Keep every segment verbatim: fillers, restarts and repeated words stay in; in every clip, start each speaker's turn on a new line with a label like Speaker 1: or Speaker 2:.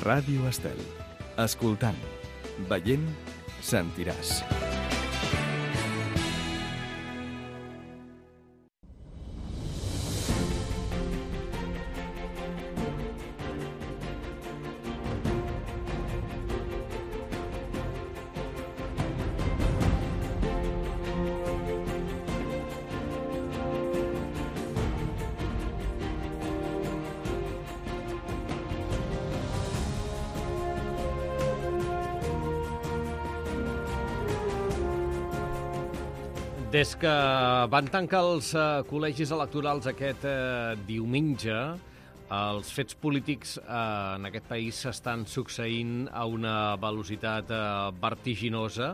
Speaker 1: Ràdio Estel. Escoltant, veient, sentiràs.
Speaker 2: Des que van tancar els eh, col·legis electorals aquest eh, diumenge, els fets polítics eh, en aquest país s'estan succeint a una velocitat eh, vertiginosa.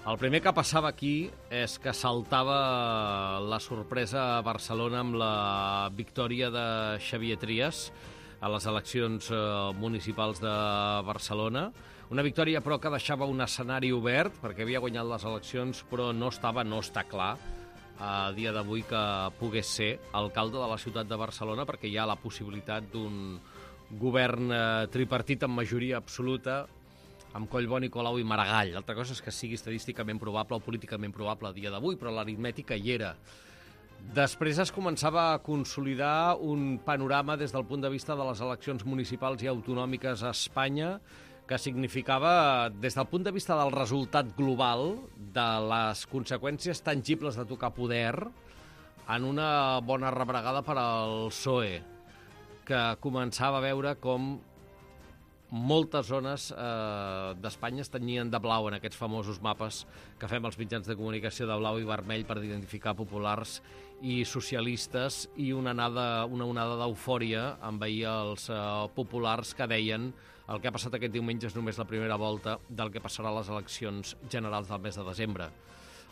Speaker 2: El primer que passava aquí és que saltava la sorpresa a Barcelona amb la victòria de Xavier Trias a les eleccions eh, municipals de Barcelona. Una victòria, però, que deixava un escenari obert, perquè havia guanyat les eleccions, però no estava, no està clar, a dia d'avui que pogués ser alcalde de la ciutat de Barcelona, perquè hi ha la possibilitat d'un govern eh, tripartit amb majoria absoluta, amb Collboni, Colau i Maragall. L'altra cosa és que sigui estadísticament probable o políticament probable a dia d'avui, però l'aritmètica hi era. Després es començava a consolidar un panorama des del punt de vista de les eleccions municipals i autonòmiques a Espanya, que significava, des del punt de vista del resultat global, de les conseqüències tangibles de tocar poder, en una bona rebregada per al P S O E, que començava a veure com moltes zones eh, d'Espanya es tenyien de blau en aquests famosos mapes que fem els mitjans de comunicació de blau i vermell per identificar populars i socialistes, i una onada, una onada d'eufòria envaïa els eh, populars que deien el que ha passat aquest diumenge és només la primera volta del que passarà a les eleccions generals del mes de desembre.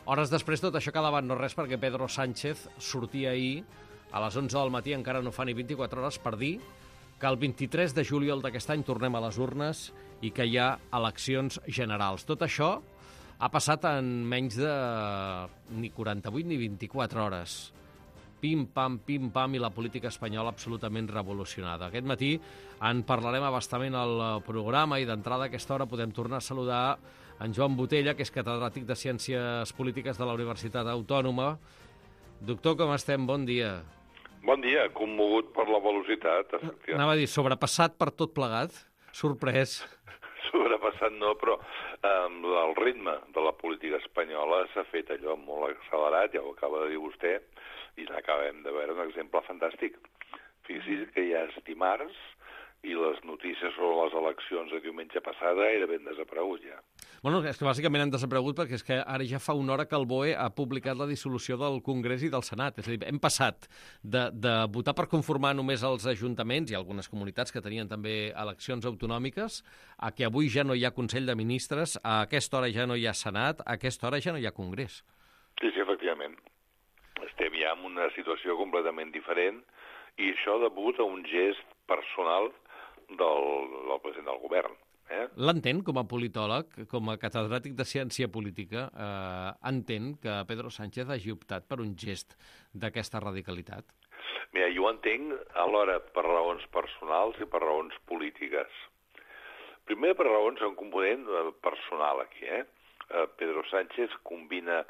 Speaker 2: Hores després tot això quedava en no res, perquè Pedro Sánchez sortia ahir a les onze del matí, encara no fa ni vint-i-quatre hores, per dir que el vint-i-tres de juliol d'aquest any tornem a les urnes i que hi ha eleccions generals. Tot això ha passat en menys de ni quaranta-vuit ni vint-i-quatre hores. Pim-pam, pim-pam, i la política espanyola absolutament revolucionada. Aquest matí en parlarem abastament al programa, i d'entrada a aquesta hora podem tornar a saludar en Joan Botella, que és catedràtic de Ciències Polítiques de la Universitat Autònoma. Doctor, com estem? Bon dia.
Speaker 3: Bon dia, commogut per la velocitat.
Speaker 2: Anava a dir, sobrepassat per tot plegat? Sorprès?
Speaker 3: Sobrepassat no, però eh, el ritme de la política espanyola s'ha fet allò molt accelerat, ja ho acaba de dir vostè, i n'acabem de veure un exemple fantàstic. Fixi's que ja és dimarts i les notícies sobre les eleccions de diumenge passada era ben desaparegut ja.
Speaker 2: Bueno, és que bàsicament han desaparegut perquè és que ara ja fa una hora que el B O E ha publicat la dissolució del Congrés i del Senat. És a dir, hem passat de, de votar per conformar només els ajuntaments i algunes comunitats que tenien també eleccions autonòmiques, a que avui ja no hi ha Consell de Ministres, a aquesta hora ja no hi ha Senat, a aquesta hora ja no hi ha Congrés.
Speaker 3: Sí, sí, efectivament. Estem ja en una situació completament diferent, i això degut a un gest personal del, del president del govern. Eh?
Speaker 2: L'entén com a politòleg, com a catedràtic de ciència política, eh, entén que Pedro Sánchez hagi optat per un gest d'aquesta radicalitat?
Speaker 3: Mira, jo ho entenc alhora per raons personals i per raons polítiques. Primer per raons, un component personal aquí. Eh? Pedro Sánchez combina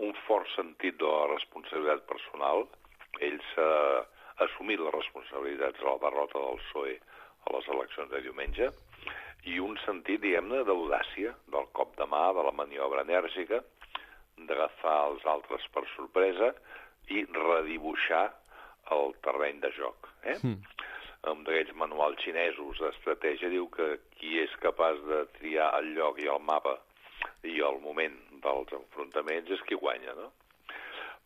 Speaker 3: un fort sentit de la responsabilitat personal. Ell s'ha assumit les responsabilitats de la derrota del P S O E a les eleccions de diumenge, i un sentit, diguem-ne, d'audàcia, del cop de mà, de la maniobra enèrgica, d'agafar els altres per sorpresa i redibuixar el terreny de joc. Eh? Mm. Un d'aquells manuals xinesos d'estratègia diu que qui és capaç de triar el lloc i el mapa i el moment dels enfrontaments és qui guanya, no?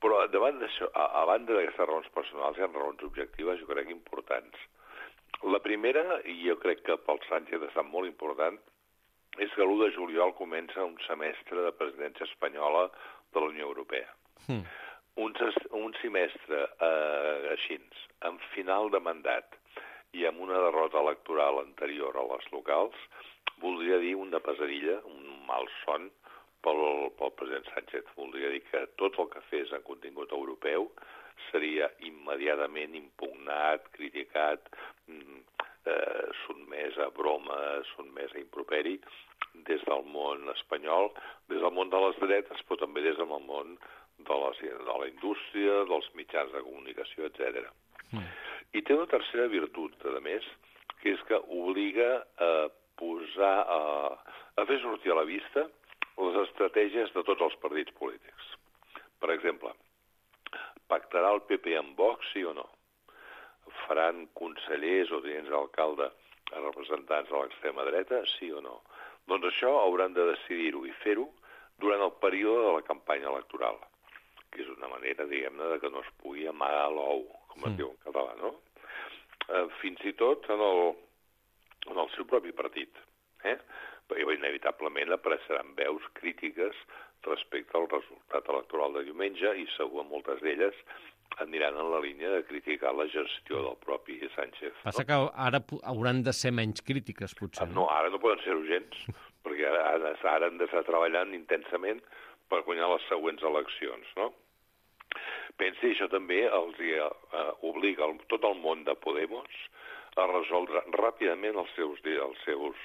Speaker 3: Però davant d'això, a, a banda d'aquestes raons personals, hi ha raons objectives, jo crec, importants. La primera, i jo crec que pel Sánchez ha estat molt important, és que l'u de juliol comença un semestre de presidència espanyola de la Unió Europea. Mm. Un, un semestre eh, així, en final de mandat i amb una derrota electoral anterior a les locals, voldria dir una pesadilla, un mal son pel, pel president Sánchez. Voldria dir que tot el que fes en contingut europeu seria immediatament impugnat, criticat, eh, sotmès a bromes, sotmès a improperi, des del món espanyol, des del món de les dretes, però també des del món de, les, de la indústria, dels mitjans de comunicació, etcètera. Mm. I té una tercera virtut, a més, que és que obliga a posar, a, a fer sortir a la vista les estratègies de tots els partits polítics. Per exemple, pactarà el P P amb Vox, sí o no? Faran consellers o tinents d'alcalde a representants de l'extrema dreta, sí o no? Doncs això hauran de decidir-ho i fer-ho durant el període de la campanya electoral, que és una manera, diguem-ne, de que no es pugui amagar l'ou, com es mm. diu en català, no? Eh, fins i tot en el, en el seu propi partit, eh? Perquè inevitablement apareixeran veus crítiques respecte al resultat electoral de diumenge i segur moltes d'elles aniran en la línia de criticar la gestió del propi Sánchez.
Speaker 2: Passa
Speaker 3: no?
Speaker 2: que ara hauran de ser menys crítiques, potser.
Speaker 3: No, ara no poden ser urgents, perquè ara, ara han d'estar treballant intensament per guanyar les següents eleccions, no? Pensi, això també els uh, obliga el, tot el món de Podemos a resoldre ràpidament els seus, els seus,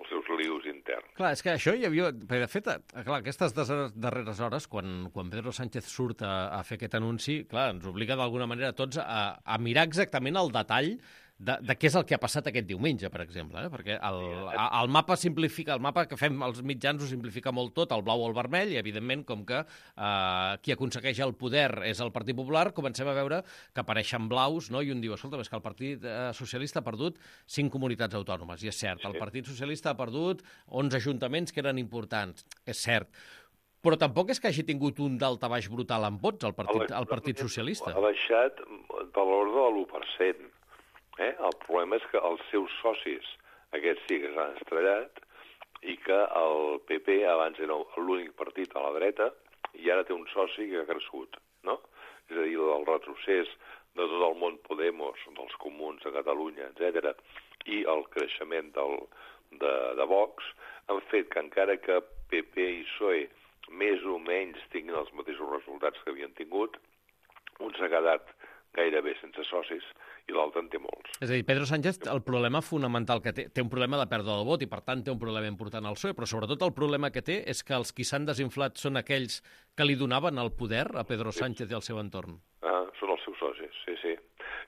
Speaker 3: els seus lius interns.
Speaker 2: Clar, és que això hi havia... De fet, clar, aquestes darreres hores, quan, quan Pedro Sánchez surt a, a fer aquest anunci, clar, ens obliga d'alguna manera a tots a, a mirar exactament el detall de, de què és el que ha passat aquest diumenge, per exemple, eh? Perquè el, el mapa simplifica, el mapa que fem els mitjans ho simplifica molt tot, el blau o el vermell, i evidentment, com que eh, qui aconsegueix el poder és el Partit Popular, comencem a veure que apareixen blaus, no? I un diu, escolta, és que el Partit eh, Socialista ha perdut cinc comunitats autònomes, i és cert, el Partit Socialista ha perdut onze ajuntaments que eren importants, és cert, però tampoc és que hagi tingut un daltabaix brutal en vots el Partit, el partit Socialista.
Speaker 3: Ha baixat de l'ordre de l'u per cent. Eh? El problema és que els seus socis, aquests sí que s'han estrellat, i que el P P abans era l'únic partit a la dreta i ara té un soci que ha crescut, no? És a dir, el retrocés de tot el món Podemos, dels comuns de Catalunya, etcètera, i el creixement del, de, de Vox han fet que encara que P P i P S O E més o menys tinguin els mateixos resultats que havien tingut, un s'ha quedat gairebé sense socis i l'altre en té molts.
Speaker 2: És a dir, Pedro Sánchez, el problema fonamental que té, té un problema de pèrdua del vot i, per tant, té un problema important al P S O E, però sobretot el problema que té és que els qui s'han desinflat són aquells que li donaven el poder a Pedro Sánchez i al seu entorn.
Speaker 3: Ah, són els seus socis, sí, sí.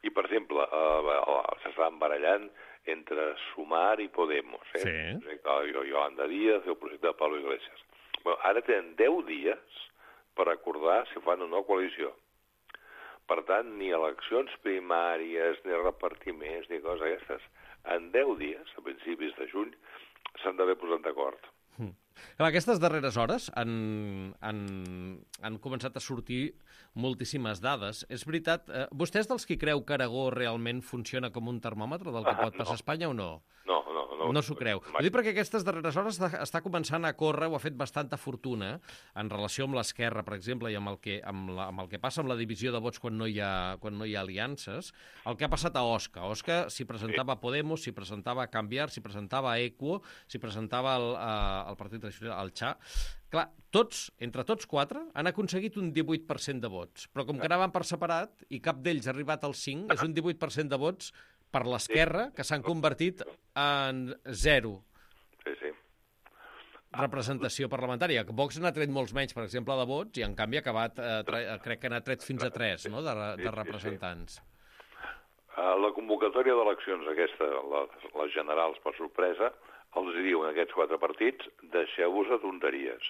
Speaker 3: I, per exemple, eh, s'estan barallant entre Sumar i Podemos, eh?
Speaker 2: Sí.
Speaker 3: El projecte de Yolanda Díaz i el projecte de Pablo Iglesias. Bueno, ara tenen deu dies per acordar si fan una coalició. Per tant, ni eleccions primàries, ni repartiments, ni coses aquestes. En deu dies, a principis de juny, s'han d'haver posat d'acord.
Speaker 2: Mm. Clar, aquestes darreres hores han, han, han començat a sortir moltíssimes dades. És veritat, eh, vostè és dels qui creu que Aragó realment funciona com un termòmetre del que
Speaker 3: Ah,
Speaker 2: pot passar
Speaker 3: no.
Speaker 2: a Espanya o no?
Speaker 3: No, no, no.
Speaker 2: No s'ho creu. Ho dic perquè aquestes darreres hores està, està començant a córrer, o ha fet bastanta fortuna, en relació amb l'Esquerra, per exemple, i amb el, que, amb, la, amb el que passa amb la divisió de vots quan no hi ha, quan no hi ha aliances, el que ha passat a Osca. Osca s'hi presentava a Podemos, s'hi presentava a Canviar, s'hi presentava a Equo, s'hi presentava al, a, al Partit Tradicional, al Xa. Clar, tots, entre tots quatre, han aconseguit un divuit per cent de vots, però com que anaven per separat i cap d'ells ha arribat al cinc, és un divuit per cent de vots per l'Esquerra, que s'han convertit en zero
Speaker 3: Sí, sí.
Speaker 2: representació parlamentària. Vox n'ha tret molts menys, per exemple, de vots, i en canvi ha acabat, eh, tre... crec que n'ha tret fins a tres, no?, de, de representants.
Speaker 3: Uh, la convocatòria d'eleccions aquesta, les, les generals per sorpresa, els diuen aquests quatre partits, deixeu-vos de tonteries.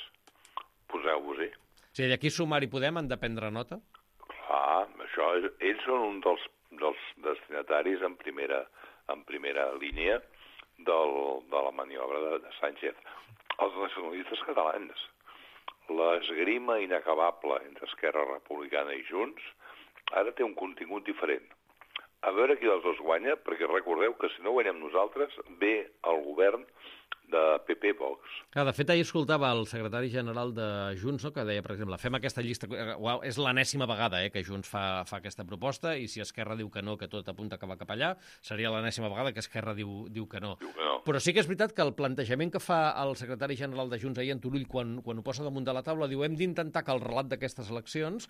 Speaker 3: Poseu-vos-hi.
Speaker 2: O sigui, d'aquí Sumar i Podem han de prendre nota?
Speaker 3: Clar, això és, ells són un dels, dels destinataris en primera, en primera línia del, de la maniobra de, de Sánchez. Els nacionalistes catalans, l'esgrima inacabable entre Esquerra Republicana i Junts, ara té un contingut diferent. A veure qui dels dos guanya, perquè recordeu que si no guanyem nosaltres, ve el govern de P P Vox.
Speaker 2: Clar, de fet, ahir escoltava el secretari general de Junts, no?, que deia, per exemple, fem aquesta llista... Uau, és l'enèsima vegada eh, que Junts fa, fa aquesta proposta, i si Esquerra diu que no, que tot apunta que va cap allà, seria l'enèsima vegada que Esquerra diu, diu que no.
Speaker 3: Diu que no.
Speaker 2: Però sí que és veritat que el plantejament que fa el secretari general de Junts ahir en Turull, quan, quan ho posa damunt de la taula, diu hem d'intentar que el relat d'aquestes eleccions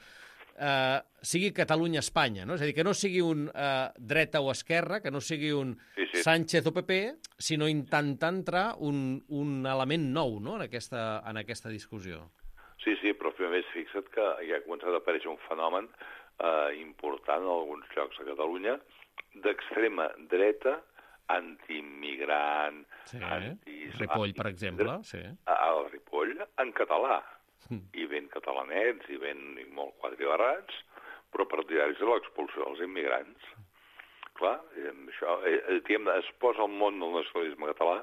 Speaker 2: eh, sigui Catalunya-Espanya, no? És a dir, que no sigui un eh, dreta o esquerra, que no sigui un
Speaker 3: Sí, sí.
Speaker 2: Sánchez o P P, sinó intentar entrar un, un element nou, no?, en aquesta, en aquesta discussió.
Speaker 3: Sí, sí, però a més fixa't que ja ha començat a aparèixer un fenomen eh, important en alguns llocs a Catalunya d'extrema dreta, antiimmigrant,
Speaker 2: Sí,
Speaker 3: anti...
Speaker 2: Ripoll, per exemple, sí.
Speaker 3: Al Ripoll, en català. Mm. I ben catalanets, i ben i molt quadribarrats, però partidaris de l'expulsió dels immigrants. Clar, això, eh, diguem, es posa el món del nacionalisme català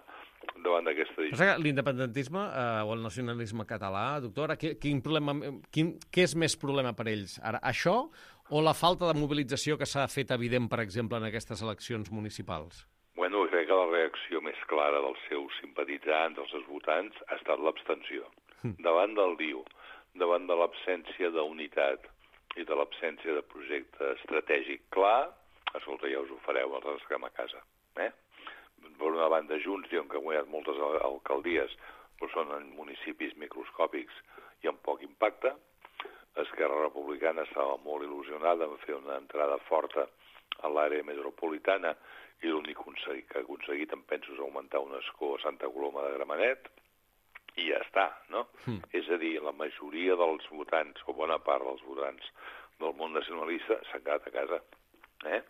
Speaker 3: davant d'aquesta
Speaker 2: O sigui, l'independentisme eh, o el nacionalisme català, doctora, quin, quin problema, quin, què és més problema per ells? Ara, això o la falta de mobilització que s'ha fet evident, per exemple, en aquestes eleccions municipals?
Speaker 3: Bueno, crec que la reacció més clara dels seus simpatitzants, dels seus votants, ha estat l'abstenció. Mm. Davant del D I U, davant de l'absència d'unitat i de l'absència de projecte estratègic clar, escolta, ja us ho fareu, els esquem a casa. Eh? Per una banda, Junts diuen que ha guanyat moltes alcaldies, però són en municipis microscòpics i amb poc impacte. Esquerra Republicana estava molt il·lusionada en fer una entrada forta a l'àrea metropolitana i l'únic que ha aconseguit, em penso, és augmentar un escó a Santa Coloma de Gramenet, i ja està, no? Mm. És a dir, la majoria dels votants, o bona part dels votants del món nacionalista, s'han quedat a casa. Eh?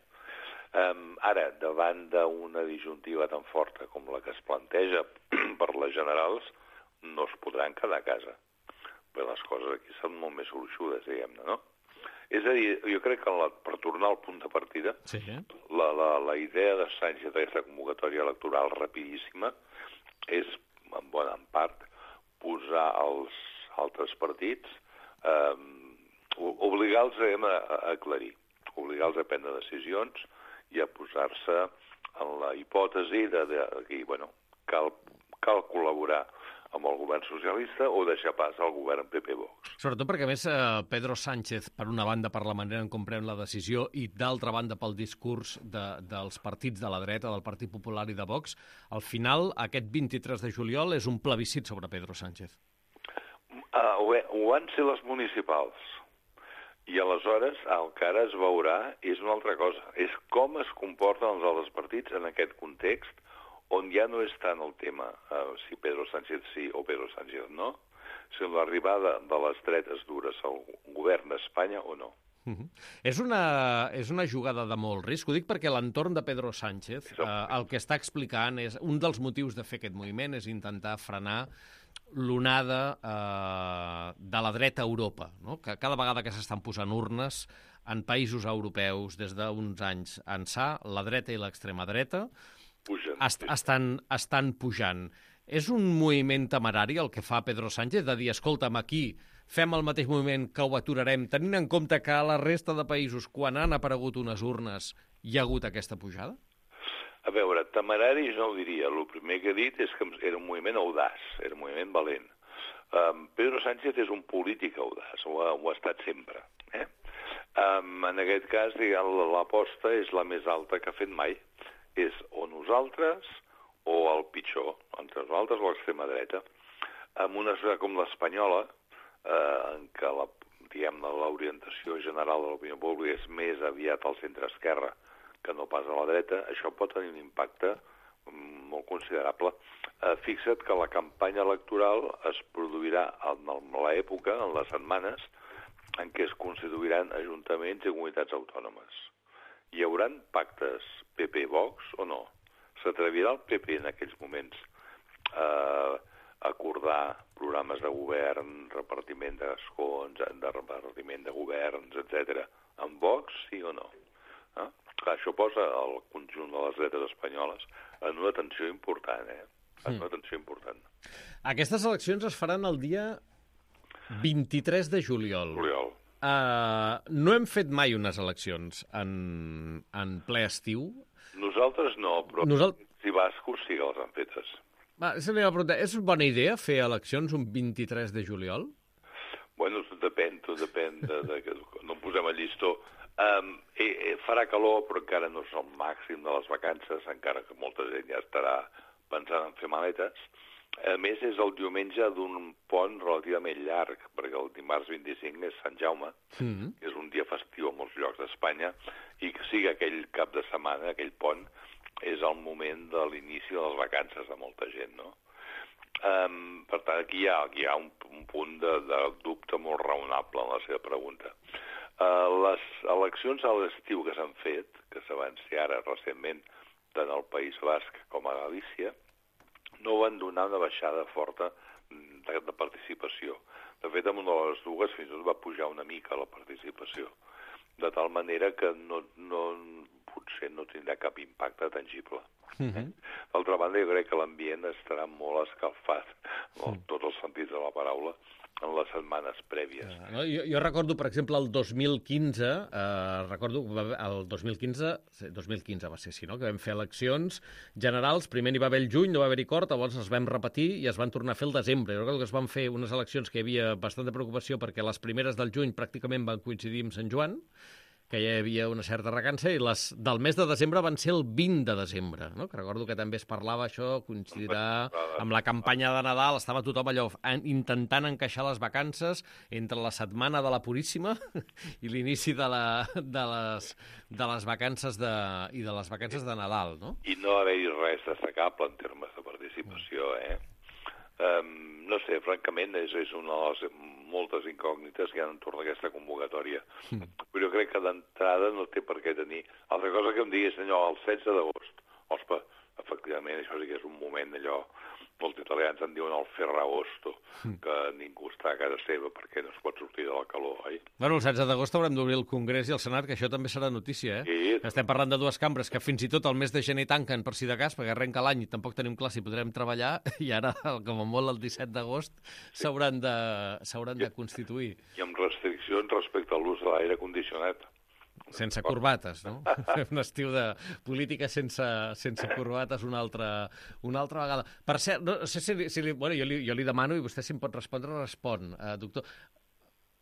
Speaker 3: Um, ara, davant d'una disjuntiva tan forta com la que es planteja per les generals, no es podran quedar a casa. Però les coses aquí són molt més gruixudes, diguem-ne, no? És a dir, jo crec que la, per tornar al punt de partida, sí. la, la, la idea de Sánchez d'aquesta convocatòria electoral rapidíssima és, en bona part, posar els altres partits, eh, obligar-los a, a aclarir, obligar-los a prendre decisions i a posar-se en la hipòtesi de, de que, bueno, cal, cal col·laborar amb el govern socialista o deixar pas al govern P P Vox.
Speaker 2: Sobretot perquè, a més, eh, Pedro Sánchez, per una banda, per la manera en com pren la decisió i, d'altra banda, pel discurs de, dels partits de la dreta, del Partit Popular i de Vox, al final, aquest vint-i-tres de juliol és un plebiscit sobre Pedro Sánchez.
Speaker 3: Uh, ho, ho van ser les municipals. I aleshores el que ara es veurà és una altra cosa. És com es comporten els altres partits en aquest context on ja no és tant el tema uh, si Pedro Sánchez sí o Pedro Sánchez no, sinó l'arribada de les dretes dures al govern d'Espanya o no.
Speaker 2: Uh-huh. És, una, és una jugada de molt risc. Ho dic perquè l'entorn de Pedro Sánchez eh, el que està explicant és un dels motius de fer aquest moviment és intentar frenar l'onada eh, de la dreta a Europa, no? Que cada vegada que s'estan posant urnes en països europeus des d'uns anys ençà, la dreta i l'extrema dreta
Speaker 3: Pugen,
Speaker 2: est estan, estan pujant. És un moviment temerari el que fa Pedro Sánchez de dir, escolta'm, aquí fem el mateix moviment que ho aturarem, tenint en compte que a la resta de països, quan han aparegut unes urnes, hi ha hagut aquesta pujada?
Speaker 3: A veure, temerari no ho diria. El primer que he dit és que era un moviment audaç, era un moviment valent. Um, Pedro Sánchez és un polític audaç, ho ha, ho ha estat sempre. Eh? Um, en aquest cas, l'aposta és la més alta que ha fet mai. És o nosaltres o el pitjor, entre nosaltres o l'extrema dreta. En una societat com l'espanyola, eh, en què la, diguem-ne, l'orientació general de l'opinió pública és més aviat al centre-esquerra que no pas a la dreta, això pot tenir un impacte molt considerable. Eh, fixa't que la campanya electoral es produirà en l'època, en les setmanes, en què es constituiran ajuntaments i comunitats autònomes. Hi haurà pactes P P-Vox o no? S'atrevirà el P P en aquells moments a acordar programes de govern, repartiment d'escons, de repartiment de governs, etcètera, amb Vox, sí o no? Eh? Clar, això posa el conjunt de les dretes espanyoles en una tensió important, eh? En una tensió important.
Speaker 2: Aquestes eleccions es faran el dia vint-i-tres de juliol.
Speaker 3: Juliol.
Speaker 2: Uh, no hem fet mai unes eleccions en, en ple estiu.
Speaker 3: Nosaltres no, però Nosal... si bascos sí que les han fetes.
Speaker 2: Va, és bona idea fer eleccions un vint-i-tres de juliol?
Speaker 3: Bueno, tot depèn, tot depèn de, de que no posem el llistó. Um, eh, eh, farà calor, però encara no és el màxim de les vacances, encara que molta gent ja estarà pensant en fer maletes. A més, és el diumenge d'un pont relativament llarg, perquè el dimarts vint-i-cinc és Sant Jaume, mm-hmm. que és un dia festiu a molts llocs d'Espanya, i que sigui aquell cap de setmana, aquell pont, és el moment de l'inici de les vacances de molta gent, no? Um, per tant, aquí hi ha, aquí hi ha un, un punt de, de dubte molt raonable en la seva pregunta. Uh, les eleccions a l'estiu que s'han fet, que se van ser ara recentment tant al País Basc com a Galícia, no van donar una baixada forta de, de participació. De fet, en una de les dues fins i tot va pujar una mica la participació, de tal manera que no, no, potser no tindrà cap impacte tangible. Uh-huh. D'altra banda, jo crec que l'ambient estarà molt escalfat, en tots els sentits de la paraula, en les setmanes prèvies.
Speaker 2: Uh, no, jo, jo recordo, per exemple, el dos mil quinze, eh, recordo el dos mil quinze, dos mil quinze va ser així, no?, que vam fer eleccions generals, primer n'hi va haver el juny, no va haver-hi cort, llavors es vam repetir i es van tornar a fer el desembre. Jo recordo que es van fer unes eleccions que hi havia bastanta preocupació perquè les primeres del juny pràcticament van coincidir amb Sant Joan, que hi havia una certa recança, i les del mes de desembre van ser el vint de desembre, no? Que recordo que també es parlava això, coincidirà amb la campanya de Nadal, estava tothom allò intentant encaixar les vacances entre la setmana de la Puríssima i l'inici de, la, de, les, de les vacances de, i de les vacances de Nadal, no?
Speaker 3: I no haver-hi res destacable en termes de participació, eh? Um, no sé, francament, és, és una de les moltes incògnites que hi ha entorn d'aquesta convocatòria. Mm. Però jo crec que d'entrada no té per què tenir. Altra cosa que em diguis, allò, el setze d'agost. Ospa, efectivament, això sí que és un moment allò, molts italians en diuen el ferragosto, mm. que ningú està a casa seva perquè no es pot sortir de la calor, oi?
Speaker 2: Bueno, el setze d'agost haurem d'obrir el Congrés i el Senat, que això també serà notícia, eh? Sí. Estem parlant de dues cambres que fins i tot el mes de gener tanquen per si de cas, perquè arrenca l'any i tampoc tenim clar si podrem treballar, i ara, com a molt, el disset d'agost s'hauran de, s'hauran de constituir.
Speaker 3: I amb restriccions respecte a l'ús de l'aire condicionat.
Speaker 2: Sense corbates, no? Un estiu de política sense, sense corbates una altra, una altra vegada. Per cert, no sé si, si li, bueno, jo, li, jo li demano, i vostè si em pot respondre, respon. Uh, doctor,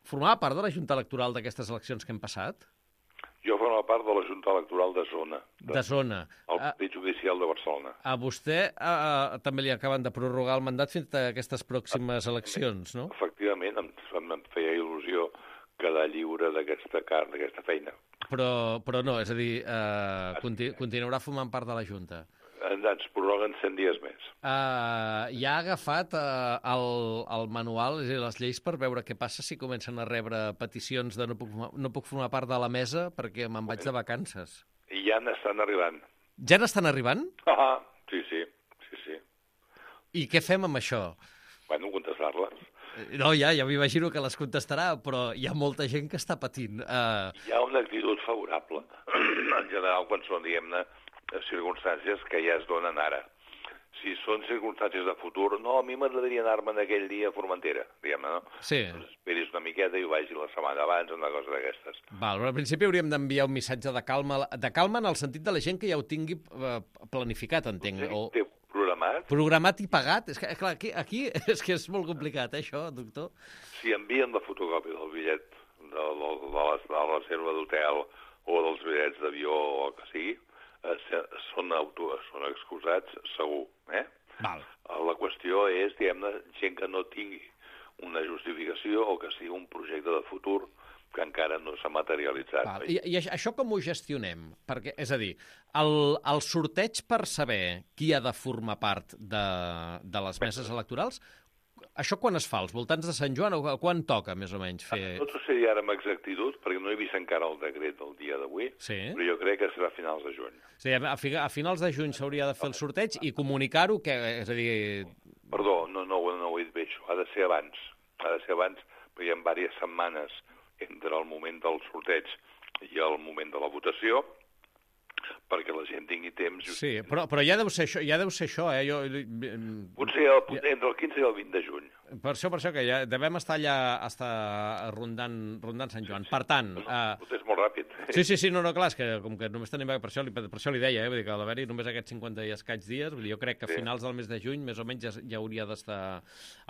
Speaker 2: formava part de la Junta Electoral d'aquestes eleccions que hem passat?
Speaker 3: Jo formava part de la Junta Electoral de Zona. De,
Speaker 2: de Zona.
Speaker 3: El Partit Judicial de Barcelona.
Speaker 2: A vostè uh, també li acaben de prorrogar el mandat fins a aquestes pròximes eleccions, no?
Speaker 3: Efectivament, em, em feia il·lusió quedar lliure d'aquesta carn, d'aquesta feina.
Speaker 2: Però, però no, és a dir, eh, continu, continuarà formant part de la Junta.
Speaker 3: Ens prorroguen cent dies més.
Speaker 2: Uh, ja ha agafat uh, el, el manual, és a dir, les lleis, per veure què passa si comencen a rebre peticions de no puc, no puc formar part de la mesa perquè me'n vaig de vacances.
Speaker 3: I ja n'estan arribant.
Speaker 2: Ja n'estan arribant?
Speaker 3: Ah, sí, sí, sí, sí.
Speaker 2: I què fem amb això?
Speaker 3: Bueno, contestar-les.
Speaker 2: No, ja, ja m'imagino que les contestarà, però hi ha molta gent que està patint. Uh...
Speaker 3: Hi ha una actitud favorable, en general, quan són, diguem-ne, circumstàncies que ja es donen ara. Si són circumstàncies de futur, no, a mi m'agradaria anar-me'n aquell dia a Formentera, diguem-ne, no?
Speaker 2: Sí.
Speaker 3: Doncs esperis una miqueta i ho vagi la setmana abans, una cosa d'aquestes.
Speaker 2: Val, però al principi hauríem d'enviar un missatge de calma, de calma en el sentit de la gent que ja ho tingui planificat, entenc.
Speaker 3: O... Programat.
Speaker 2: Programat i pagat? És que, clar, aquí, aquí és que és molt complicat, eh, això, doctor?
Speaker 3: Si envien la fotocòpia del bitllet de, de, de, la, de la reserva d'hotel o dels bitllets d'avió o el que sigui, eh, són, auto, són excusats segur. Eh?
Speaker 2: Val.
Speaker 3: La qüestió és, diguem-ne, gent que no tingui una justificació o que sigui un projecte de futur que encara no s'ha materialitzat.
Speaker 2: Val. I, I això com ho gestionem? Perquè, és a dir, el, el sorteig per saber qui ha de formar part de, de les meses electorals, això quan es fa? Als voltants de Sant Joan? O quan toca, més o menys, fer...
Speaker 3: No t'ho sé dir ara amb exactitud, perquè no he vist encara el decret del dia d'avui,
Speaker 2: sí.
Speaker 3: Però jo crec que serà a finals de juny.
Speaker 2: Sí, a, a finals de juny s'hauria de fer el sorteig i comunicar-ho, que, és a dir...
Speaker 3: Perdó, no, no, no ho he dit bé, això. Ha de ser abans. Ha de ser abans, perquè hi ha diverses setmanes entre el moment del sorteig i el moment de la votació, perquè la gent tingui temps...
Speaker 2: Sí, però, però ja deu ser això, ja deu ser això, eh? Jo...
Speaker 3: Potser el, entre el quinze i el vint de juny.
Speaker 2: Per això, per això, que ja devem estar allà estar rondant, rondant Sant Joan. Per tant...
Speaker 3: Uh... És molt ràpid.
Speaker 2: Sí, sí, sí, no, no, clar, és que com que només tenim... Per això, per això li deia, eh? Vull dir que al haver-hi només aquests cinquanta i escaig dies, vull dir, jo crec que a finals del mes de juny, més o menys, ja, ja hauria d'estar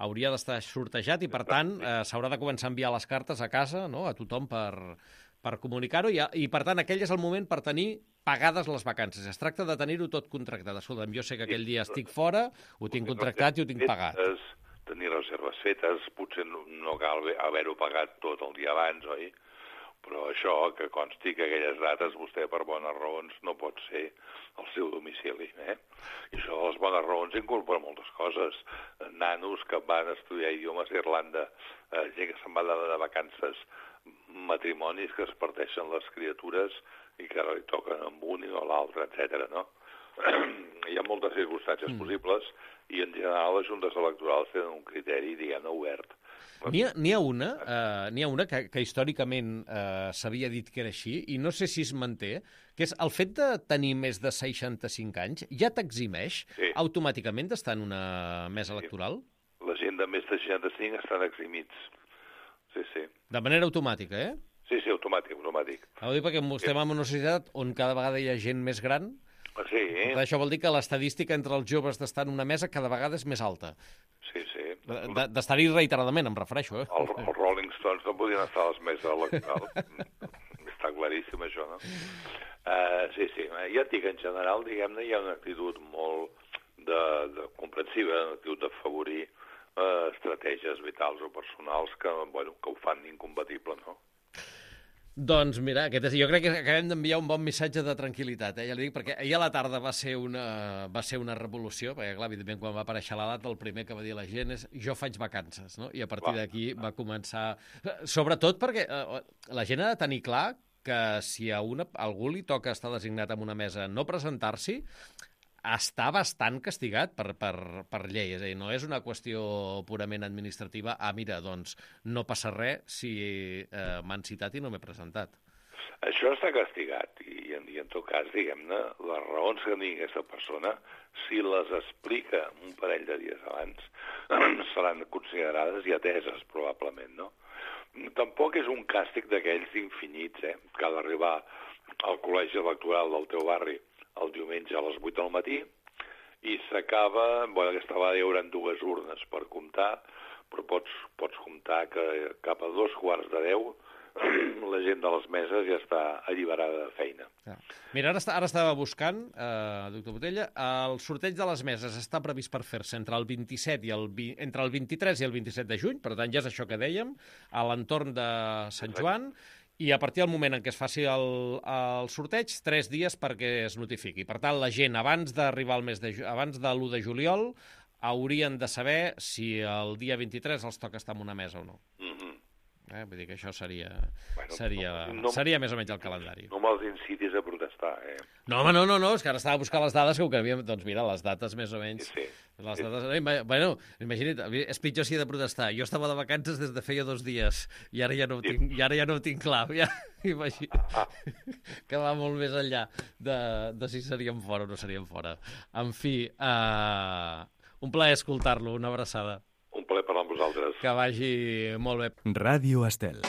Speaker 2: hauria d'estar sortejat i, per tant, eh, s'haurà de començar a enviar les cartes a casa, no?, a tothom per... per comunicar-ho, i, i per tant aquell és el moment per tenir pagades les vacances. Es tracta de tenir-ho tot contractat. Escolta'm, jo sé que aquell dia estic fora, ho tinc contractat i ho tinc pagat.
Speaker 3: Tenir reserves fetes, potser no, no cal haver-ho pagat tot el dia abans, oi? Però això, que consti que aquelles dates vostè per bones raons no pot ser al seu domicili. Eh? I això de les bones raons incorpora moltes coses. Nanos que van estudiar idiomes a Irlanda, eh, gent que se'n va de, de vacances, matrimonis que es parteixen les criatures i que ara li toquen amb un i no l'altre, etcètera. No? Hi ha moltes circumstàncies mm. possibles i en general les juntes electorals tenen un criteri, diguem-ne, obert.
Speaker 2: N'hi ha, n'hi ha una, eh, n'hi ha una que, que històricament eh, s'havia dit que era així, i no sé si es manté, que és el fet de tenir més de seixanta-cinc anys ja t'eximeix sí. automàticament d'estar en una mesa electoral?
Speaker 3: Sí. La gent de més de seixanta-cinc estan eximits. Sí, sí.
Speaker 2: De manera automàtica, eh?
Speaker 3: Sí, sí, automàtic, automàtic.
Speaker 2: Ho dic perquè estem en una societat on cada vegada hi ha gent més gran.
Speaker 3: Sí.
Speaker 2: Per això vol dir que l'estadística entre els joves d'estar en una mesa cada vegada és més alta.
Speaker 3: Sí, sí.
Speaker 2: D'estar-hi reiteradament, em refereixo. Eh?
Speaker 3: El, els Rolling Stones no podien estar a les meses electorals. Està claríssim, això, no? Uh, sí, sí. Ja et dic, en general, diguem-ne, hi ha una actitud molt de, de comprensiva, una actitud d'afavorir uh, estratègies vitals o personals que, bueno, que ho fan incompatible, no?
Speaker 2: Doncs mira, aquest és, jo crec que acabem d'enviar un bon missatge de tranquil·litat, eh? Ja li dic, perquè ahir a la tarda va ser una, va ser una revolució, perquè clar, evidentment quan va aparèixer la data el primer que va dir la gent és jo faig vacances, no? I a partir d'aquí va començar... Sobretot perquè eh, la gent ha de tenir clar que si a, una, a algú li toca estar designat en una mesa no presentar-s'hi, està bastant castigat per, per, per llei. És a dir, no és una qüestió purament administrativa. Ah, mira, doncs no passa res si eh, m'han citat i no m'he presentat.
Speaker 3: Això està castigat i, i en tot cas, diguem-ne, les raons que tingui aquesta persona, si les explica un parell de dies abans, seran considerades i ateses, probablement, no? Tampoc és un càstig d'aquells infinits, eh? Que ha d'arribar al col·legi electoral del teu barri el diumenge a les vuit del matí i s'acaba, bueno, aquesta vegada hi haurà dues urnes per comptar, però pots, pots comptar que cap a dos quarts de deu la gent de les meses ja està alliberada de feina.
Speaker 2: Ja. Mira, ara, està, ara estava buscant, eh, doctor Botella, el sorteig de les meses està previst per fer-se entre el vint-i-set i el, entre el vint-i-tres i el vint-i-set de juny, per tant ja és això que dèiem, a l'entorn de Sant Joan, i a partir del moment en què es faci el, el sorteig, tres dies perquè es notifiqui. Per tant, la gent, abans d'arribar al mes de, abans de l'u de juliol, haurien de saber si el dia vint-i-tres els toca estar en una mesa o no. Mm-hmm. eh? Vull dir que això seria,
Speaker 3: bueno,
Speaker 2: seria,
Speaker 3: no, no,
Speaker 2: seria més o menys el calendari.
Speaker 3: No me'ls incitis a protestar, eh?
Speaker 2: No, home, no, no, no, és que ara estava buscant les dades que ho que havíem... Doncs mira, les dates més o menys...
Speaker 3: Sí, sí.
Speaker 2: Les dates... Bueno, imagina't, és pitjor si he de protestar. Jo estava de vacances des de feia dos dies i ara ja no ho tinc, i ara ja no ho tinc clar. Ja, imagina't, ah, ah. Que va molt més enllà de, de si seríem fora o no seríem fora. En fi, uh, un plaer escoltar-lo, una abraçada.
Speaker 3: Un plaer parlar amb vosaltres.
Speaker 2: Que vagi molt bé.
Speaker 1: Ràdio Estel.